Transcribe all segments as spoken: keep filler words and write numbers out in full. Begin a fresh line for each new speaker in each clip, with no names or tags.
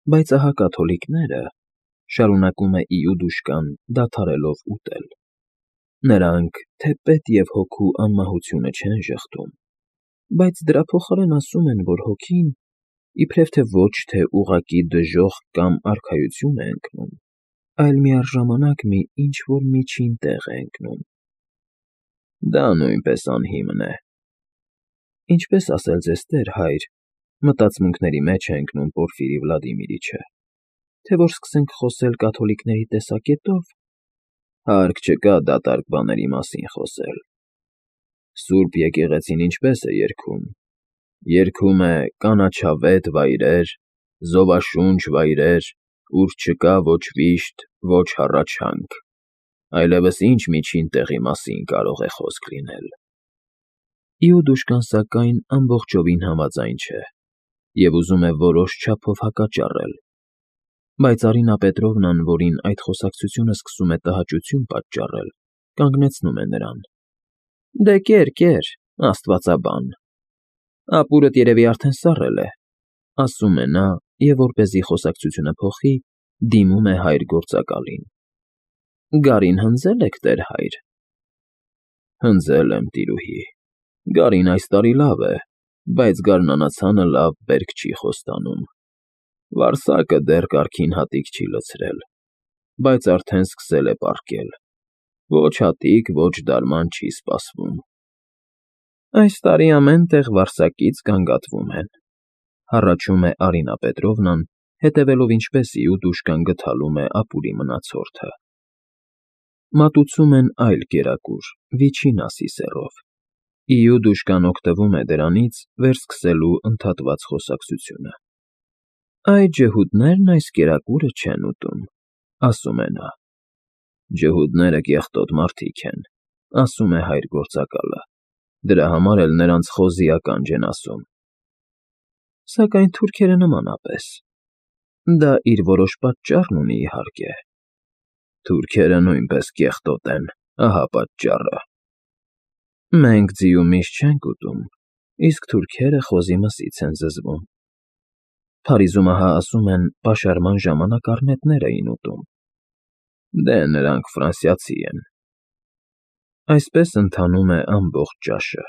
Բայց ահա կաթոլիկները, շարունակում է Իուդուշկան, դադարելով ուտել, նրանք թեպետ և հոգու անմահությունը չեն ժխտում, բայց դրա փոխարեն ասում են, որ հոգին իբրև թե ոչ թե ուղղակի դժոխք կամ արքայություն է ընկնում, այլ միառժամանակ մի ինչ֊որ միջին տեղ է ընկնում։ Դա նույնպես անհիմն է։ Ինչպես ասել ձեզ տեր, հայր, մտածմունքների մեջ է ընկնում Պորֆիրի Վլադիմիրիչը, թե որ սկսենք խոսել կաթոլիկների տեսակետով, հարկ չկա դատարկ բաների մասին խոսել։ Սուրբ եկեղեցին ինչպե՞ս է երգում. երգում է կանաչավետ վայրեր, զովաշունչ վայրեր, ուր չկա ոչ վիշտ, ոչ հառաչանք, այլևս ինչ միջին տեղի մասին կարող է խոսք լինել։ Իուդուշկան, սակայն, ամբողջովին համաձայն չէ և ուզում է որոշ չափով հակաճառել, բայց Արինա Պետրովնան, որին այդ խոսակցությունը սկսում է տհաճություն պատճառել, կանգնեցնում է նրան. Դե կեր, կեր, աստվածաբան, ապուրդ երևի արդեն սառել է, ասում է նա և, որպեսզի խոսակցությունը փոխի, դիմում է հայր գործակալին. Գարին հնձե՞լ եք, տեր հայր։ Հնձել եմ, տիրուհի, գարին այս տարի լավ է, բայց գարնանացանը լավ բերք չի խոստանում։ Վարսակը դեռ կարգին հատիկ չի լցրել, բայց արդեն սկսել է պառկել, ոչ հատիկ, ոչ դարման չի սպասվում։ Այս տարի ամեն տեղ վարսակից գանգատվում են, հառաչում է Արինա Պետրովնան, հետևելով ինչպես Իուդուշկան գթալում է ապուրի մնացորդը։ Մատուցում են այլ կերակուր, վիչին ասի սեռով։ Իուդուշկան օգտվում է դրանից վերսկսելու ընդհատված խոսակցությունը։ Այդ ջհուդներն այս կերակուրը չեն ուտում, ասում է նա։ Ջհուդները կեղտոտ մարդիկ են, ասում է հայր գործակալը, դրա համար էլ նրանց խոզի ականջ են ասում։ Սակայն թուրքերը նմանապես։ Դա իր որոշ պատճառն ունի, իհարկե։ Թուրքերը նույնպես կեղտոտ են, ահա պատճառը։ Մենք ձիու միշ չենք ուտում, իսկ թուրքերը խոզի մսից են զզվում։ Փարիզում ահա ասում են պաշարման ժամանակ առնետներ էին ուտում։ Դե նրանք ֆրանսիացի են։ Այսպես ընթանում է ամբողջ ճաշը,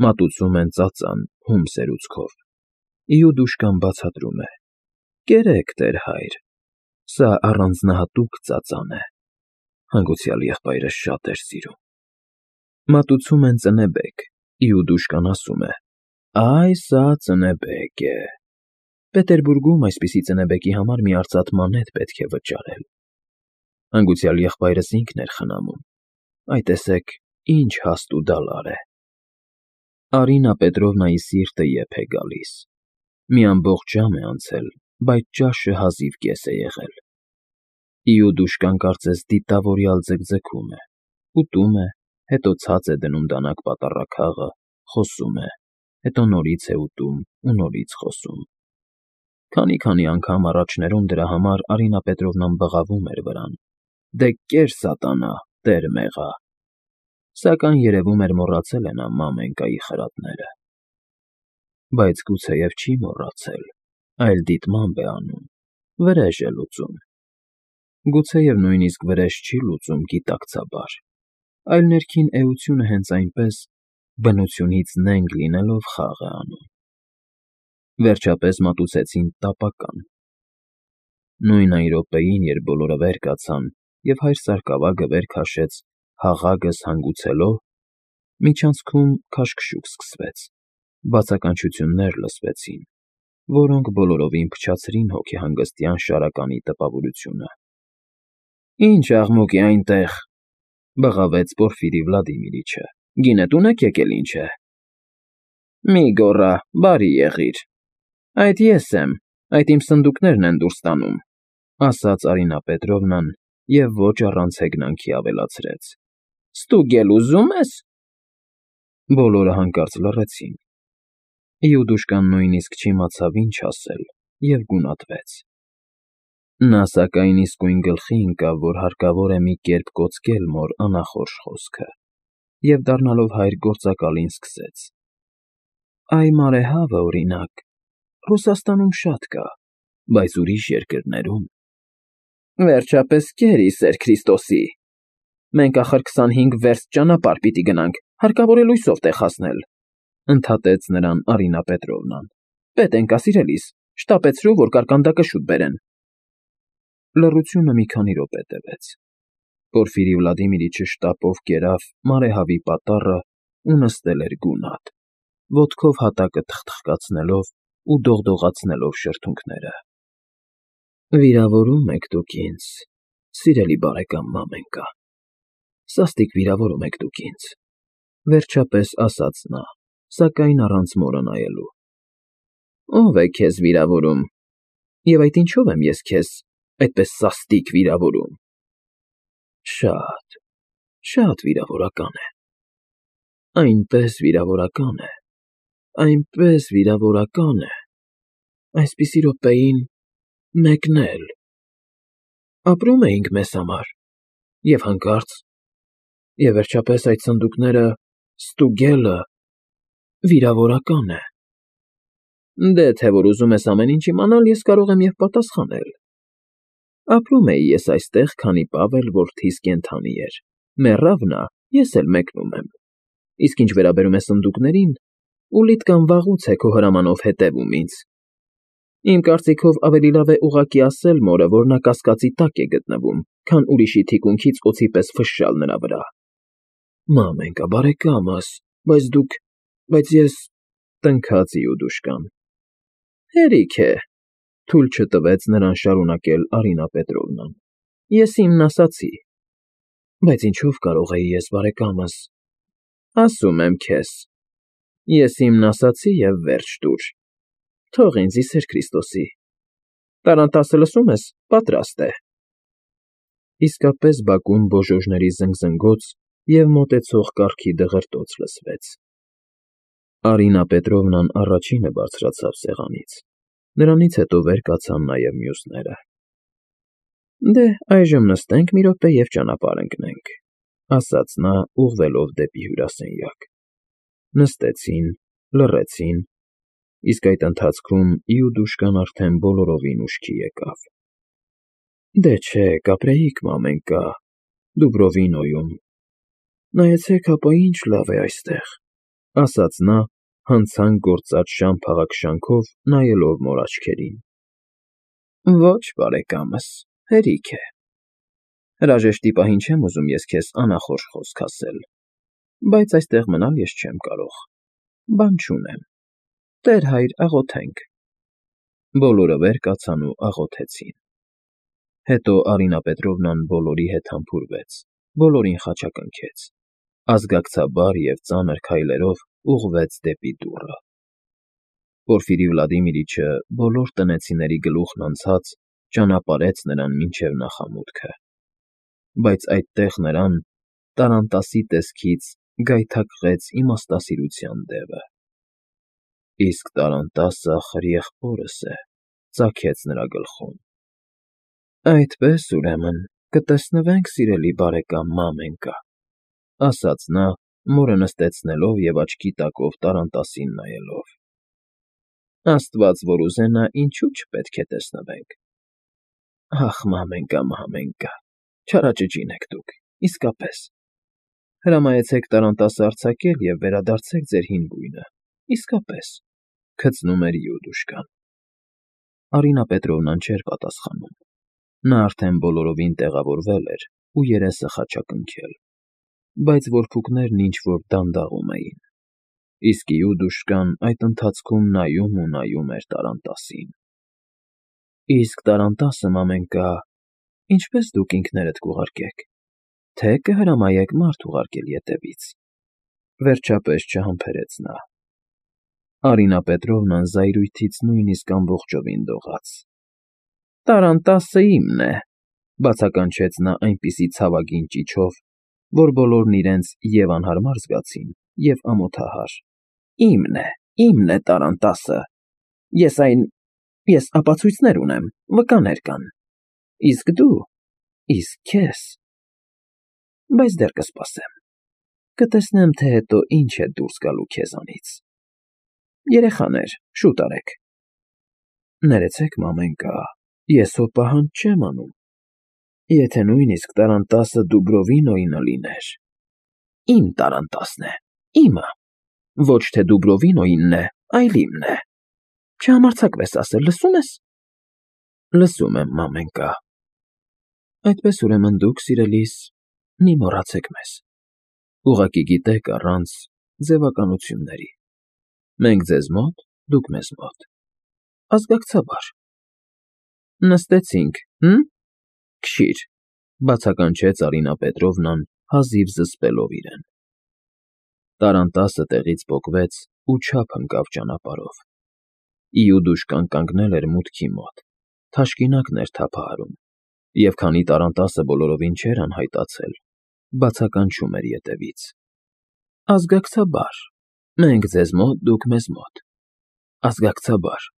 մատուցում են ծածան, հում սերուցքով։ Իուդուշկան բացատրում է. Կերեք, տեր հայր, սա առանձնահատուկ ծածան է, հանգուցյալ եղբայրս շատ էր սիրում։ Մատուցում են ծնեբեկ, Իուդուշկան ասում է. Այ սա ծնեբեկ է։ Պետերբուրգում այսպիսի ծնեբեկի համար մի արծաթ մանեթ պետք է վճարել։ Հանգուցյալ եղբայրս ինքն էր խնամում, այ տեսեք, ինչ հաստ ու դալար է։ Արինա Պետրովնայի սիրտը եփ է գալիս։ Մի ամբողջ ժամ է անցել, բայց ճաշը հազիվ կես է եղել։ Իուդուշկան կարծես դիտավորյալ ձգձգում է, ուտում է, հետո ցած է դնում դանակ պատառաքաղը, խոսում է, հետո նորից է ուտում ու նորից խոսում։ Քանի֊քանի անգամ առաջներում դրա համար Արինա Պետրովնան բղավում էր վրան. Դե կեր սատանա, տեր մեղա։ Սակայն երևում էր մոռացել է նա մամենկայի խրատները։ Բայց գուցեև չի մոռացել, այլ դիտմամբ է անում, վրեժ է լուծում։ Գուցեև նույնիսկ վրեժ չի լուծում գիտակցաբար, այլ ներքին էությունը հենց այնպես, բնությունից նենգ լինելով խաղ է անում։ Վերջապես մատուցեցին տապական։ Նույն այն րոպեին, երբ բոլորը վեր կացան, և հայր սարկավագը վեր քաշեց հաղագս հանգուցելով, միջանցքում քաշքշուկ սկսվեց, բացականչություններ լսվեցին, որոնք բոլորովին փչացրին հոգեհանգստյան շարականի տպավորությունը։ Ինչ աղմուկ է այնտեղ, բղավեց Պորֆիրի Վլադիմիրիչը, գինետո՞ւն եք եկել, ինչ է։ Մի գոռա, բարի եղիր։ Այդ ես եմ, այդ իմ սնդուկներն են դուրս տանում, ասաց Արինա Պետրովնան և ոչ առանց հեգնանքի ավելացրեց. Ստուգել ուզում ես։ Բոլորը հանկարծ լռեցին։ Իուդուշկան նույնիսկ չիմացավ ինչ ասել և գունատվեց։ Նա սակայն իսկույն գլխի ընկավ, որ հարկավոր է մի կերպ կոծկել մոր անախորժ խոսքը, և դառնալով հայր գործակալին սկսեց. Այ մարեհավը, օրինակ, Ռուսաստանում շատ կա, Բայց ուրիշ երկրներում…
Վերջապես կեր, ի սեր Քրիստոսի… Մենք ախր քսանհինգ վերստ ճանապարհ պիտի գնանք, հարկավոր է լույսով տեղ հասնել, ֊ ընդհատեց նրան Արինա Պետրովնան։ ֊ Պետ էնկա, սիրելիս, շտապեցրու, որ կարկանդակը շուտ բերեն…
Լռությունը մի քանի րոպե տևեց։ Պորֆիրի Վլադիմիրիչը շտապով կերավ մարեհավի պատառը ու նստել էր գունատ, ոտքով հատակը թխթխկացնելով ու դողդողացնելով շրթունքները։ ֊ Վիրավորում եք դուք ինձ, սիրելի բարեկամ մամենկա, սաստիկ վիրավորում եք դուք ինձ, ֊ վերջապես ասաց նա, սակայն առանց մորը նայելու։ ֊ Ո՞վ է քեզ վիրավորում, և այդ ինչո՞վ եմ ես քեզ այդպես սաստիկ վիրավորում։ ֊ Շատ, շատ վիրավորական է, այնպես վիրավորական է, այնպես վիրավորական է, այսպիսի րոպեին մեկն էլ… Ապրում էինք մեզ համար, և հանկարծ… Եվ վերջապես այդ սնդուկները, ստուգելը… վիրավորական է… Դե թե որ ուզում ես ամեն ինչ իմանալ, ես կարող եմ և պատասխանել… Ապրում էի ես այստեղ, քանի պահ էլ որդիս կենդանի էր, մեռավ նա, ես էլ մեկնում եմ… Իսկ ինչ վերաբերում է սնդուկներին, ուլիդ կամ վաղուց է քո հրամանով հետևում ինձ… Իմ կարծիքով ավելի լավ է ուղղակի ասել մորը, որ նա կասկածի տակ է գտնվում, քան ուրիշի թիկունքից օձի պես ֆշշալ նրա վրա… ֊ Մամենկա, բարեկամս, բայց դուք… բայց ես… ֊ տնքաց Իուդուշկան։ ֊ Հերիք է, ֊ թույլ չտվեց նրան շարունակել Արինա Պետրովնան։ ֊ Ես իմն ասացի… ֊ Բայց ինչո՞վ կարող էի ես, բարեկամս… ֊ Ասում եմ քեզ… Ես իմն ասացի և վերջ տուր… Թող ինձ, ի սեր Քրիստոսի… Տարանտասը, լսում ես, պատրաստ է… Իսկապես բակում բոժոժների զնգզնգոց և մոտեցող կառքի դղրդոց լսվեց։ Արինա Պետրովնան առաջինը բարձրացավ սեղանից, նրանից հետո վեր կացան նաև մյուսները։ ֊ Դե, այժմ նստենք մի րոպե և ճանապարհ ընկնենք, ֊ ասաց նա, ուղղվելով դեպի հյուրասենյակ։ Նստեցին, լռեցին, իսկ այդ ընթացքում Իուդուշկան արդեն բոլորովին ուշքի եկավ։ ֊ Դե չէ, կապրեիք, մամենկա, Դուբրովինոյում… Նայեցեք հապա, ինչ լավ է այստեղ, ֊ ասաց նա, հանցանք գործած շան փաղաքշանքով նայելով մոր աչքերին։ ֊ Ոչ, բարեկամս, հերիք է… Հրաժեշտի պահին չեմ ուզում ես քեզ անախորժ խոսք ասել, բայց այստեղ մնալ ես չեմ կարող… Բան չունեմ… Տեր֊հայր, աղոթենք… Բոլորը վեր կացան ու աղոթեցին։ Հետո Արինա Պետրովնան բոլորի հետ համբուրվեց, բոլորին խաչակնքեց, ազգակցաբար և ծանր քայլերով ուղղվեց դեպի դուռը։ Պորֆիրի Վլադիմիրիչը, բոլոր տնեցիների գլուխն անցած, ճանապարհեց նրան մինչև նախամուտքը, բայց այդտեղ նրան, տառանտասի տեսքից, գայթակղեց իմաստասիրության դևը։ ֊ Իսկ տառանտասը, ախր, եղբորս է, ֊ ծագեց նրա գլխում։ ֊ Այդպես, ուրեմն, կտեսնվենք, սիրելի բարեկամ մամենկա, ֊ ասաց նա, մորը նստեցնելով և աչքի տակով տառանտասին նայելով։ ֊ Աստված որ ուզենա, ինչու չպետք է տեսնվենք… Ախ, մամենկա, մամենկա, չարաճճին եք դուք, իսկապես… Հրամայեցեք տառանտասը արձակել և վերադարձեք ձեր հին բույնը, իսկապես… ֊ քծնում էր Իուդուշկան։ Արինա Պետրովնան չէր պատասխանում։ Նա արդեն բոլորովին տեղավորվել էր ու երեսը խաչակնքել, բայց որփուկներն ինչ֊որ դանդաղում էին, իսկ Իուդուշկան այդ ընթացքում նայում ու նայում էր տառանտասին։ ֊ Իսկ տառանտասը, մամենկա, ինչպե՞ս դուք ինքներդ կուղարկեք, թե կհրամայեք մարդ ուղարկել ետևից, ֊ վերջապես չհամբերեց նա։ Արինա Պետրովնան զայրույթից նույնիսկ ամբողջովին դողաց։ ֊ Տառանտասը իմն է, ֊ բացականչեց նա այնպիսի ցավագին ճիչով, որ բոլորն իրենց և՛ անհարմար զգացին, և՛ ամոթահար։ ֊ Իմն է, իմն է տառանտասը… Ես այն… ես ապացույցներ ունեմ, վկաներ կան… Իսկ դու… իսկ քեզ… Բայց դեռ կսպասեմ… Կտեսնեմ, թե հետո ինչ է դուրս գալու քեզանից… Երեխաներ, շուտ արեք…
Ներեցեք, մամենկա, ես հո պահանջ չեմ անում, եթե նույնիսկ տարանտասը Դուբրովինոյինը լիներ, իմ տարանտասն է, իմը, ոչ թե Դուբրովինոյինն է, այլ իմն է, չհամարձակվես ասել, լսո՞ւմ ես։ Լսում եմ, մամենկա։ Այդպես ուրեմն դուք, սիրելիս, մի մոռացեք մեզ, ուղղակի գիտեք առանց ձևականությունների, մենք ձեզ մոտ, դուք մեզ մոտ, ազգակցաբար։ Նստեցինք, հը՞մ, քշիր, բացականչեց Արինա Պետրովնան, հազիվ զսպելով իրեն։ Տարանտասը տեղից պոկվեց ու չափ ընկավ ճանապարհով։ Իուդուշկան կանգնել էր մուտքի մոտ, թաշկինակն էր թափահարում, և քանի տարանտասը բոլորովին չէր անհայտացել, բացականչում էր ետևից. Ազգակցաբար, մենք ձեզ մոտ, դուք մեզ մոտ, ազգակցաբար։